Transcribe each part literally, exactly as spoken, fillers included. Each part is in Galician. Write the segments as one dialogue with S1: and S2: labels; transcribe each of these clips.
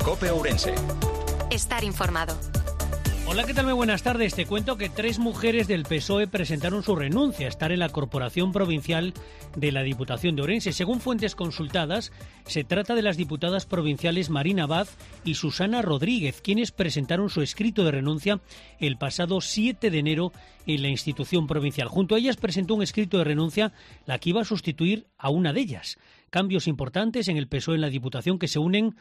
S1: COPE Ourense.
S2: Estar informado.
S3: Hola, ¿qué tal? Muy buenas tardes. Te cuento que tres mujeres del P S O E presentaron su renuncia a estar en la Corporación Provincial de la Diputación de Ourense. Según fuentes consultadas, se trata de las diputadas provinciales Marina Abad y Susana Rodríguez, quienes presentaron su escrito de renuncia el pasado siete de enero en la institución provincial. Junto a ellas presentó un escrito de renuncia la que iba a sustituir a una de ellas. Cambios importantes en el P S O E en la Diputación que se unen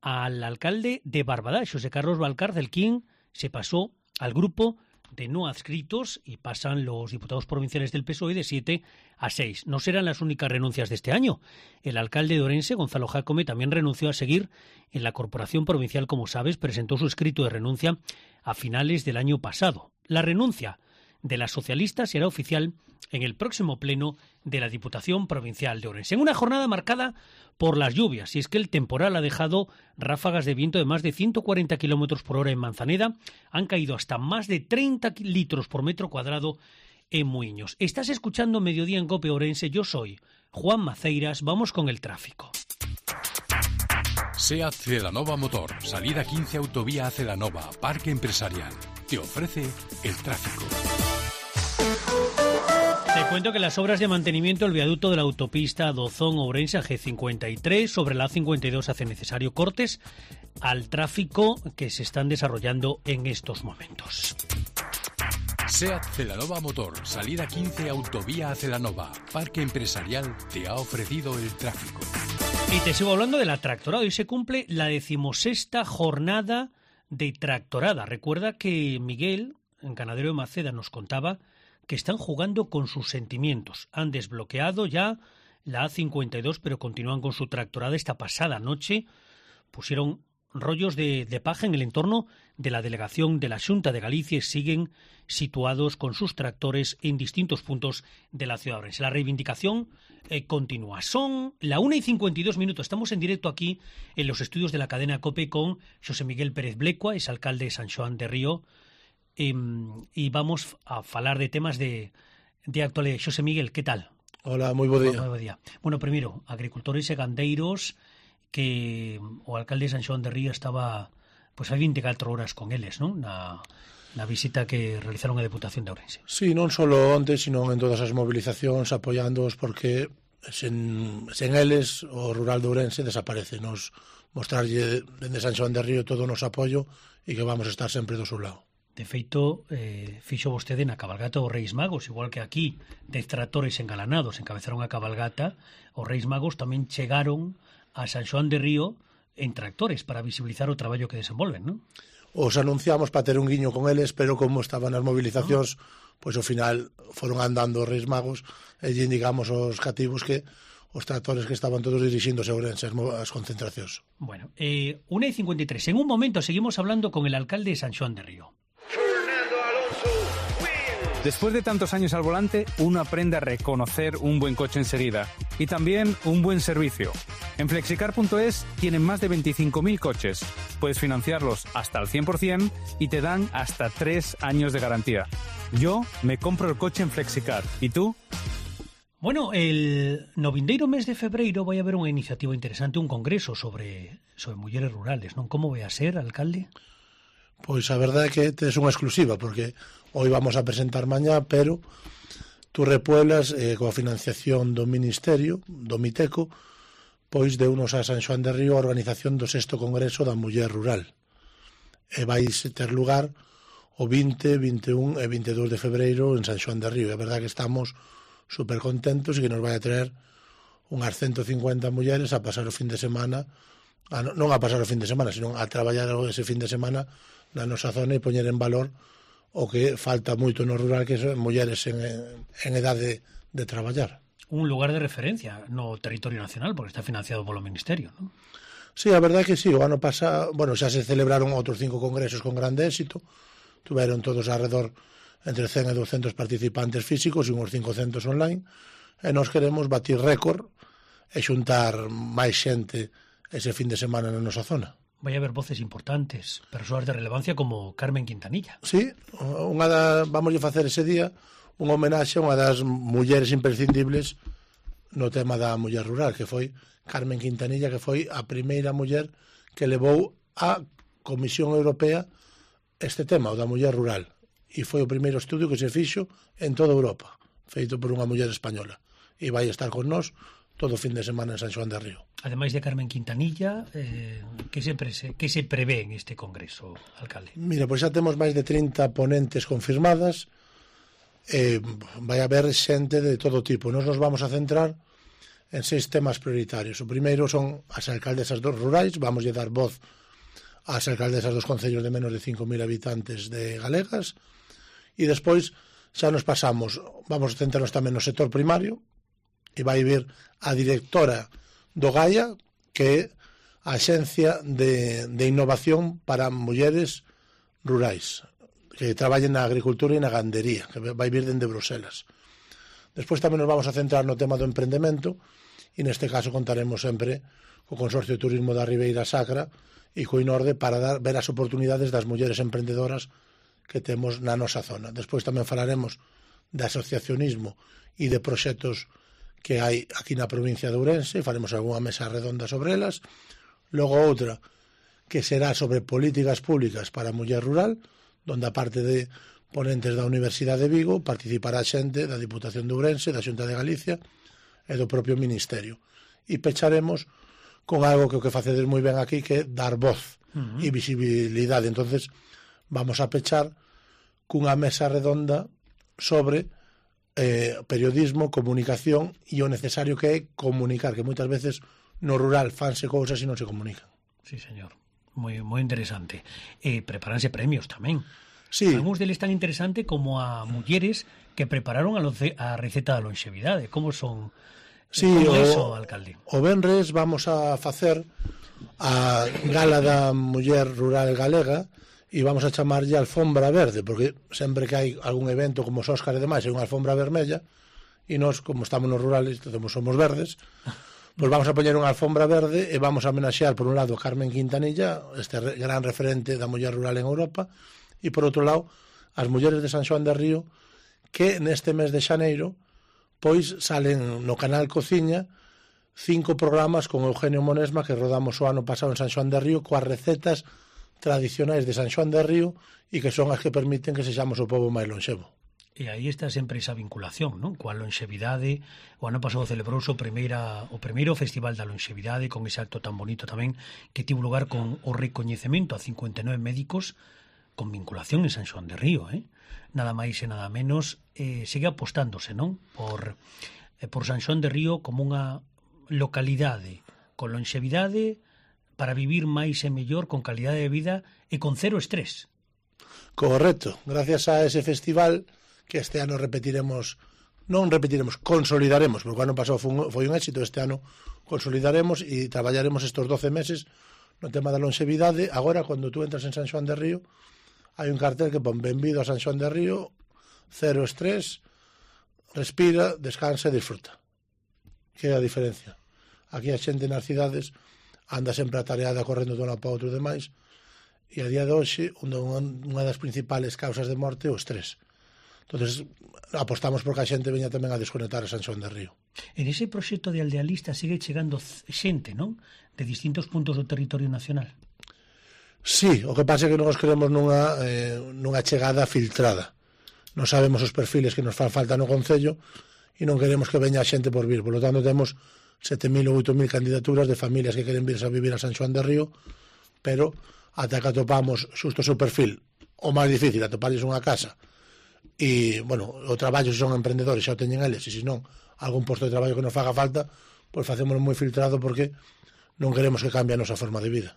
S3: al alcalde de Barbadá, José Carlos Valcárcel, quien se pasó al grupo de no adscritos y pasan los diputados provinciales del P S O E de siete a seis. No serán las únicas renuncias de este año. El alcalde de Ourense, Gonzalo Jácome, también renunció a seguir en la Corporación Provincial, como sabes, presentó su escrito de renuncia a finales del año pasado. La renuncia de la socialista será oficial en el próximo pleno de la Diputación Provincial de Ourense. En una jornada marcada por las lluvias, y es que el temporal ha dejado ráfagas de viento de más de ciento cuarenta kilómetros por hora en Manzaneda, han caído hasta más de treinta litros por metro cuadrado en Muiños. Estás escuchando Mediodía en COPE Ourense, yo soy Juan Maceiras, vamos con el tráfico.
S4: SEAT Celanova Motor, salida quince Autovía a Celanova, Parque Empresarial, te ofrece el tráfico.
S3: Te cuento que las obras de mantenimiento del viaducto de la autopista Dozón-Ourense a G cincuenta y tres sobre la A cincuenta y dos hace necesario cortes al tráfico que se están desarrollando en estos momentos.
S4: SEAT Celanova Motor, salida quince Autovía a Celanova, Parque Empresarial te ha ofrecido el tráfico.
S3: Y te sigo hablando de la tractorada. Hoy se cumple la decimosexta jornada de tractorada. Recuerda que Miguel, en Ganadero de Maceda, nos contaba que están jugando con sus sentimientos. Han desbloqueado ya la A cincuenta y dos, pero continúan con su tractorada. Esta pasada noche pusieron rollos de, de paja en el entorno de la delegación de la Xunta de Galicia y siguen situados con sus tractores en distintos puntos de la ciudad de Ourense. La reivindicación eh, continúa. Son la una y cincuenta y dos minutos. Estamos en directo aquí en los estudios de la cadena COPE con José Miguel Pérez Blecua, es alcalde de San Xoán de Río, eh, y vamos a falar de temas de, de actualidad. José Miguel, ¿qué tal?
S5: Hola, moi bo día.
S3: Moi bo día. Bueno, primeiro, agricultores e gandeiros, que o alcalde de San Xoán de Río estaba pois pues, hai veinticuatro horas con eles, non? Na, na visita que realizaron a Deputación de Ourense.
S5: Sí, non só onte, sino en todas as movilizacións apoiándoos, porque sen, sen eles o rural de Ourense desaparece. Nos mostrarlle dende San Xoán de Río todo o noso apoio e que vamos a estar sempre do seu lado.
S3: De feito, eh, fixo vostede na cabalgata os Reis Magos, igual que aquí, dez tractores engalanados encabezaron a cabalgata, os Reis Magos tamén chegaron a San Xoán de Río en tractores para visibilizar o traballo que desenvolven, non?
S5: Os anunciamos para ter un guiño con eles, pero como estaban as movilizacións, ah. pois ao final foron andando os Reis Magos e lle indicamos aos cativos que os tractores que estaban todos dirixindo a Ourense as concentracións.
S3: Bueno, eh, una y cincuenta y tres. En un momento seguimos hablando con el alcalde de San Xoán de Río.
S6: Después de tantos años al volante, uno aprende a reconocer un buen coche enseguida y también un buen servicio. En flexicar punto es tienen más de veinticinco mil coches. Puedes financiarlos hasta el cien por ciento y te dan hasta tres años de garantía. Yo me compro el coche en Flexicar. ¿Y tú?
S3: Bueno, el no vindeiro mes de febreiro vai haber unha iniciativa interesante, un congreso sobre sobre mulleres rurales, non? Como vai a ser, alcalde?
S5: Pois a verdade é que tes unha exclusiva, porque hoy vamos a presentar mañá, pero tú repueblas eh, coa financiación do Ministerio, do Miteco, pois de unos a San Xoán de Río a organización do sexto Congreso da Muller Rural. E vais ter lugar o vinte, vinte e un e vinte e dous de febreiro en San Xoán de Río. E a verdade é que estamos super contentos e que nos vai a traer unhas ciento cincuenta mulleres a pasar o fin de semana, a, non a pasar o fin de semana, sino a traballar ese fin de semana na nosa zona e poñer en valor o que falta moito no rural, que son mulleres en, en edade de traballar.
S3: Un lugar de referencia no territorio nacional, porque está financiado polo Ministerio, non?
S5: Sí, a verdade é que sí, o ano pasado, bueno, xa se celebraron outros cinco congresos con grande éxito, tuveron todos alrededor entre cen e doscientos participantes físicos e uns cincocentos online, e nós queremos batir récord e xuntar máis xente ese fin de semana na nosa zona.
S3: Vai haber voces importantes, persoas de relevancia como Carmen Quintanilla.
S5: Sí, unha da, vamos a facer ese día unha homenaxe a unha das mulleres imprescindibles no tema da muller rural, que foi Carmen Quintanilla, que foi a primeira muller que levou a Comisión Europea este tema, o da muller rural. E foi o primeiro estudio que se fixo en toda Europa, feito por unha muller española. E vai estar con nós todo o fin de semana en San Xoán de Río.
S3: Ademais de Carmen Quintanilla, eh, que, se pre que se prevé en este congreso, alcalde?
S5: Mira, pois xa temos máis de trinta ponentes confirmadas, eh, vai haber xente de todo tipo. Nos nos vamos a centrar en seis temas prioritarios. O primeiro son as alcaldesas dos rurais, vamos a dar voz ás alcaldesas dos concellos de menos de cinco mil habitantes de galegas, e despois xa nos pasamos, vamos a centrarnos tamén no sector primario, e vai vir a directora do Gaia, que é a Axencia de, de Innovación para Mulleres Rurais, que traballen na agricultura e na gandería, que vai vir dende Bruselas. Despois tamén nos vamos a centrar no tema do emprendemento, e neste caso contaremos sempre co Consorcio de Turismo da Ribeira Sacra e co INORDE para dar, ver as oportunidades das mulleres emprendedoras que temos na nosa zona. Despois tamén falaremos de asociacionismo e de proxectos que hai aquí na provincia de Ourense, faremos algunha mesa redonda sobre elas. Logo outra que será sobre políticas públicas para a muller rural, donde a parte de ponentes da Universidade de Vigo participará xente da Diputación de Ourense, da Xunta de Galicia e do propio Ministerio. E pecharemos con algo que o que facedes moi ben aquí, que é dar voz uh-huh. e visibilidade. Entonces vamos a pechar cunha mesa redonda sobre eh, periodismo, comunicación e o necesario que é comunicar, que moitas veces no rural fanse cousas e non se comunican.
S3: Sí, señor. Moi, moi interesante. E eh, preparanse premios tamén.
S5: Sí.
S3: Algúns deles tan interesante como a mulleres que prepararon a, a receta da longevidade. Como son...
S5: Sí,
S3: como
S5: o,
S3: eso, alcalde?
S5: O venres vamos a facer a gala da muller rural galega e vamos a chamarlle alfombra verde, porque sempre que hai algún evento como os Óscar e demais, hai unha alfombra vermella, e nós, como estamos nos rurales, como somos verdes, pois vamos a poñer unha alfombra verde e vamos a homenaxear, por un lado, a Carmen Quintanilla, este gran referente da muller rural en Europa, e por outro lado, as mulleres de San Xoán de Río, que neste mes de xaneiro, pois salen no canal Cociña cinco programas con Eugenio Monesma que rodamos o ano pasado en San Xoán de Río coas recetas tradicionais de San Xoán de Río e que son as que permiten que sexamos o pobo máis lonxevo.
S3: E aí está sempre esa vinculación, non? Coa lonxevidade. O ano pasado celebrouse o, primeira, o primeiro Festival da Lonxevidade con ese acto tan bonito tamén que tivo lugar con o recoñecemento a cincuenta e nove médicos con vinculación en San Xoán de Río, eh? Nada máis e nada menos, eh, segue apostándose, non? Por, eh, por San Xoán de Río como unha localidade con lonxevidade para vivir máis e mellor, con calidade de vida e con cero estrés.
S5: Correcto, gracias a ese festival que este ano repetiremos, non repetiremos, consolidaremos, porque o ano pasado foi un, foi un éxito, este ano consolidaremos e traballaremos estes doce meses no tema da lonxevidade. Agora, cando tú entras en San Xoán de Río, hai un cartel que pon benvido a San Xoán de Río, cero estrés, respira, descansa e disfruta. Que é a diferencia. Aquí a xente nas cidades anda sempre atareada correndo de un lado para outro e demais, e a día de hoxe unha das principales causas de morte é o estrés. Entonces apostamos porque a xente veña tamén a desconectar a San Xoán de Río.
S3: En ese proxecto de Aldealista sigue chegando xente, non? De distintos puntos do territorio nacional.
S5: Sí, o que pasa é que nós queremos nunha, eh, nunha chegada filtrada. Non sabemos os perfiles que nos fan falta no Concello e non queremos que veña a xente por vir. Por lo tanto, temos sete mil ou oito mil candidaturas de familias que queren virse a vivir a San Xoán de Río, pero ata que atopamos xusto o seu perfil, o máis difícil, atoparles unha casa. E, bueno, o traballo, se son emprendedores, xa o teñen eles, e se non, algún posto de traballo que nos faga falta, pois facémoslo moi filtrado porque non queremos que cambie a nosa forma de vida.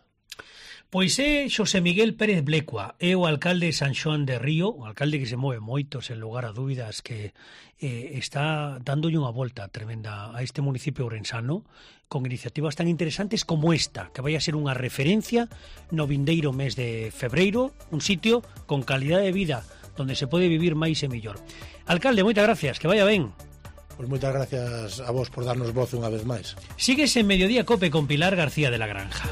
S3: Pois é Xosé Miguel Pérez Blecua, é o alcalde de San Xoán de Río, o alcalde que se move moito, sen lugar a dúbidas, que eh, está dándolle unha volta tremenda a este municipio ourensano, con iniciativas tan interesantes como esta, que vai a ser unha referencia no vindeiro mes de febreiro, un sitio con calidade de vida, donde se pode vivir máis e mellor. Alcalde, moitas gracias, que vaya ben.
S5: Pois moitas gracias a vos por darnos voz unha vez máis.
S3: Síguese en Mediodía Cope con Pilar García de la Granja.